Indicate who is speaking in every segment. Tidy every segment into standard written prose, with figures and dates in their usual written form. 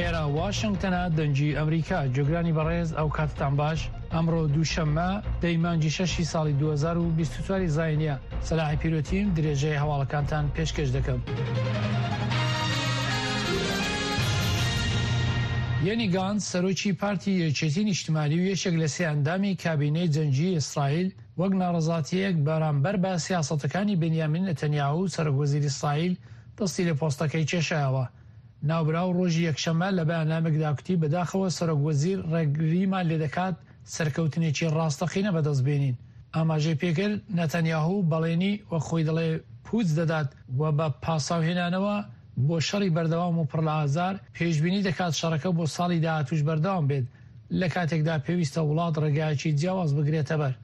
Speaker 1: ئێرە واشنگتنە دەنگی ئەمریکا جۆگرانی بەڕێز ئەو کاتتان باش ئەمڕۆ دووشەممە دەی مانگی شەشی ساڵی 2024 زاینیە سەلاحی پیرۆتیم درێژەی هەواڵەکانتان پێشکەش دەکەم. یەنی گانتس سەرۆکی پارتی یەکێتی نیشتمانی و یەکێک لە سێ ئەندامی کابینەی جەنگی ئیسرائیل وەک ناڕەزاتییەک بەرامبەر بە سیاسەتەکانی بنیامین نەتەنیاهو سەرۆک وەزیری ئیسرائیل دەستی لە پۆستەکەی کێشایەوە. ناوبراو ڕۆژی یەکشەممە لە بەیاننامێکدا کوتی بەداخەوە سەرۆک وەزیر ڕێگریمان لێدەکات سەرکەوتنێکی ڕاستەقینە بەدەست بێنین. ئاماژەی پێکرد، نەتەنیاهو بەڵێنی، وەک خۆی دەڵێ، پووچ دەدات و بە پاساوهێنانەوە بۆ شەڕی بەردەوام و پڕ لە ئازار، پێشبینی دەکات شەڕەکە بۆ ساڵی داهاتووش بەردەوام بێت، لە کاتێکدا پێویستە وڵات ڕێگایەکی جیاواز بگرێتەبەر.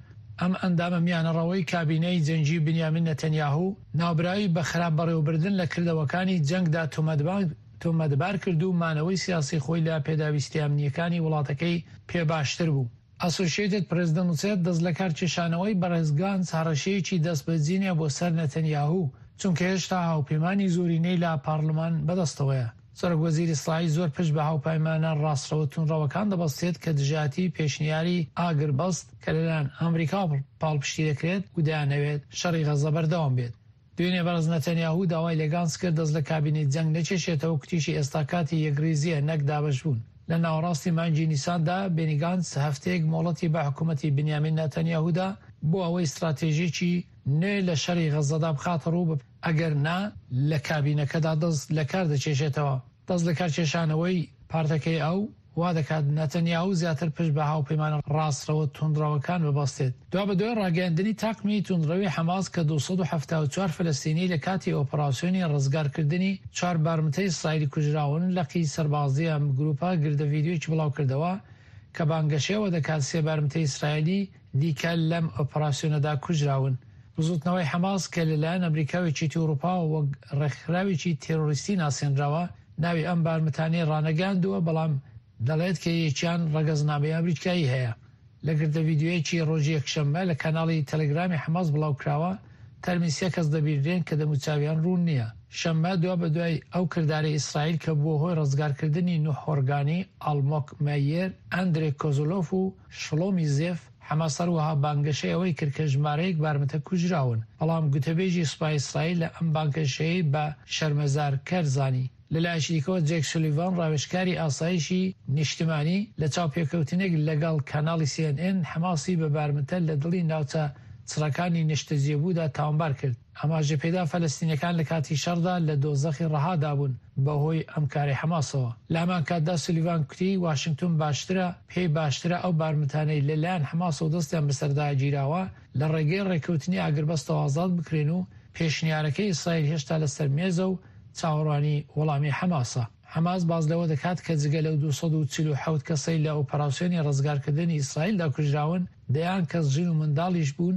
Speaker 1: ئەم ئەندامە میانەڕەوەی کابینەی جەنگی بنیامین نەتەنیاهو، ناوبراوی بە خراپ بەڕێوەبردن لە کردەوەکانی جەنگدا تۆمەتبار کرد و مانەوەی سیاسی خۆی لە پێداویستیە ئەمنییەکانی وڵاتەکەی پێ باشتر بوو. ئەسۆشیەتد پرێس دەنووسێت، دەستلەکارکێشانەوەی بەڕێز گانتس هەڕەشەیەکی دەستبەجێ بۆ سەر نەتەنیاهو، چونکە هێشتا هاوپەیمانی زۆرینەی لە پارلمان بەدەستەوەیە. سەرۆکوەزیر ئیسرائیل زۆر پشت بە هاوپەیمانە ڕاستڕەوە توندڕەوەکان دەبەستێت کە دژایەتی پێشنیاری ئاگربەست کە لەلایەن ئەمریکاوە پاڵپشتی دەکرێت و دەیانەوێت شەڕی غەززە بەردەوام بێت. دوێنێ بەڕێز نەتەنیاهو داوای لە گانتس کرد دەست لە کابینەی جەنگ نەکێشێتەوە، کوتیشی ئێستا کاتی یەکڕیزییە نەک دابەشبوون. لە ناوەڕاستی مانگی نیساندا بێنی گانتس هەفتەیەک مۆڵەتی بە حکومەتی بنیامین ناتانیاهو دا بۆ ئەوەی ستراتێژییەکی نوێ لە شەڕی غەززەدا بخاتەڕوو، ئەگەر نا لە کابینەکەدا دەست لەکار دەکێشێتەوە. دەست لەکارکێشانەوەی پارتەکەی ئەو، وا دەکات نەتەنیاهو زیاتر پشت بە هاوپەیمانە ڕاستڕەوە توندڕەوەکان ببەستێت. دوابەدوای ڕاگەیاندنی تاقمی توندڕەوی حەماس کە 274 فەلەستینی لە کاتی ئۆپەراسیۆنی ڕزگارکردنی چوار بارمتەی ئیسرائیلی کوژراون، لقی سەربازی ئەم گروپە گردە ڤیدیۆیەکی بڵاوکردەوە کە بانگەشەی ئەوە دەکات سێ بارمتەی ئیسرائیلی دیکە لەم ئۆپەراسیۆنەدا کوژراون. بزوتنەوەی حەماس کە لەلایەن ئەمریکا و یەکێتی ئەوروپاوە وەک ڕێکخراوێکی تێرۆریستی ناسێنراوە، ناوی ئەم بارمتانەی ڕانەگەیاندووە، بەڵام دەڵێت کە یەکیان ڕەگەزنامەی ئەمریکایی هەیە. لە گرتە ڤیدیۆیەکی ڕۆژی یەکشەممە لە کەناڵی تەلەگرامی حەماس بڵاوکراوە، تەرمی سێ کەس دەبینرێن کە دەموچاویان ڕوون نییە. شەممە دوابەدوای ئەو کردارەی ئیسرائیل کە بووە هۆی ڕزگارکردنی نوح هۆرگانی، ئاڵمۆک مەیێر، ئەندرێ کۆزلۆف و شڵۆمی زێف، حەماس هەروەها بانگەشەی ئەوەی کرد کە ژمارەیەک بارمتە کوژراون، بەڵام گوتەبێژی سوپای ئیسرائیل ئەم بانگەشەیەی بە شەرمەزارکەر زانی. لەلایەکی دیکەوە جەیک سولیڤان ڕاوێژکاری ئاسایشی نیشتمانی لە چاوپێکەوتنێک لەگەڵ کەناڵی سی ئێن ئێن حەماسی بە بارمتە لە دڵی ناوچە چڕەکانی نیشتەجێبوودا تاوانبار کرد. ئاماژەی پێدا فەلەستینیەکان لە کاتی شەڕدا لە دۆزەخی ڕەهادا بوون بەهۆی ئەم کارەی حەماسەوە. لە هەمان کاتدا سولیڤان کوتی واشنگتۆن باشترە پێی باشترە ئەو بارمتانەی لە لایەن حەماسەوە دەستیان بەسەردا گیراوە لە ڕێگەی ڕێککەوتنی ئاگربەستەوە ئازاد بکرێن و پێشنیارەکەی ئیسرائیل هێشتا لەسەر مێزە و چاوەڕوانی وەڵامی حەماسە. حەماس باس لەوە دەکات کە جگە لەو 247 کەسەی لە ئۆپەراسیۆنی ڕزگارکردنی ئیسرائیلدا کوژراون، دەیان کەس ژن و منداڵیش بوون،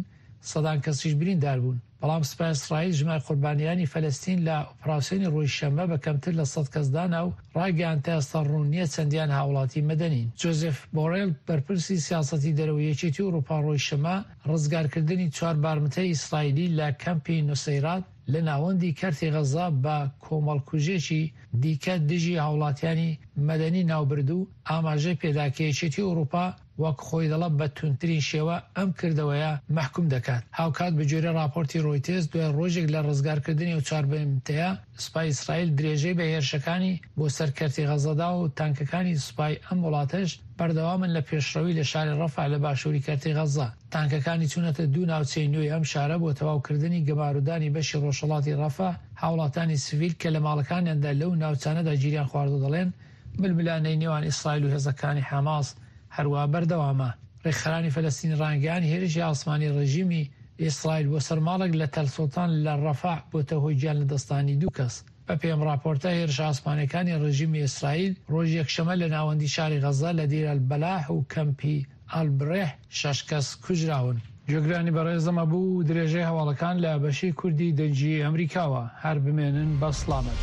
Speaker 1: سەدان کەسیش بریندار بوون. بەڵام سوپای ئیسرائیل ژمار قوربانیانی فەلەستین لە ئۆپراسیۆنی ڕۆژی شەممە بە کەمتر لە 100 کەس دانا و ڕایگەیاند تا ئێستا ڕوون نییە چەندیان هاوڵاتی مەدەنین. جۆزێف بۆرێل بەرپرسی سیاسەتی دەرەوەی یەکێتی ئەوروپا ڕۆژی شەممە ڕزگارکردنی چوار بارمتەی ئیسرائیلی لە کەمپی نوسەیرات لە ناوەندی کەرتی غەززە بە کۆمەڵکوژێکی دیکە دژی هاوڵاتیانی مەدەنی ناوبرد و ئاماژەی پێدا کە یەکێتی ئەوروپا وەک خۆی دەڵێت بە توندترین شێوە ئەم کردەوەیە مەحکوم دەکات. هاوکات بەگوێرەی ڕاپۆرتی ڕۆیتێرز دوای ڕۆژێک لە ڕزگارکردنی ئەو چوار بارمتەیە، سوپای ئیسرائیل درێژەی بە هێرشەکانی بۆ سەر کەرتی غەززە دا و تانکەکانی سوپای ئەم وڵاتەش بەردەوامن لە پێشڕەوی لە شاری ڕەفح لە باشووری کەرتی غەززە. تانکەکانی چوونەتە دوو ناوچەی نوێی ئەم شارە بۆ تەواوکردنی گەمارۆدانی بەشی ڕۆژهەڵاتی ڕەفح، هاوڵاتانی سڤیل کە لە ماڵەکانیاندا لەو ناوچانەدا گیریان خواردووە دەڵێن، ململانێی نێوان ئیسرائیل و هێزەکانی حەماس هەروا بەردەوامە. ڕێکخەرانی فەلەستینی ڕایانگەیاند، هێرشی ئاسمانی ڕێژیمی ئیسرائیل بۆ سەر ماڵێک لە تەل سوڵتان لە ڕەفەح بۆتە هۆی گیان لەدەستدانی دوو کەس. بەپێی ئەم ڕاپۆرتە، هێرشە ئاسمانییەکانی ڕێژیمی ئیسرائیل ڕۆژی یەکشەممە لە ناوەندی شاری غەززە لە دیر ئەلبەلاح و کەمپی ئەلبرێح شەش کەس کوژراون. گوێگرانی بەڕێز ئەمە بوو درێژەی هەواڵەکان لە بەشی کوردی دەنگی ئەمریکاوە. هەر بمێنن بە سڵامەت.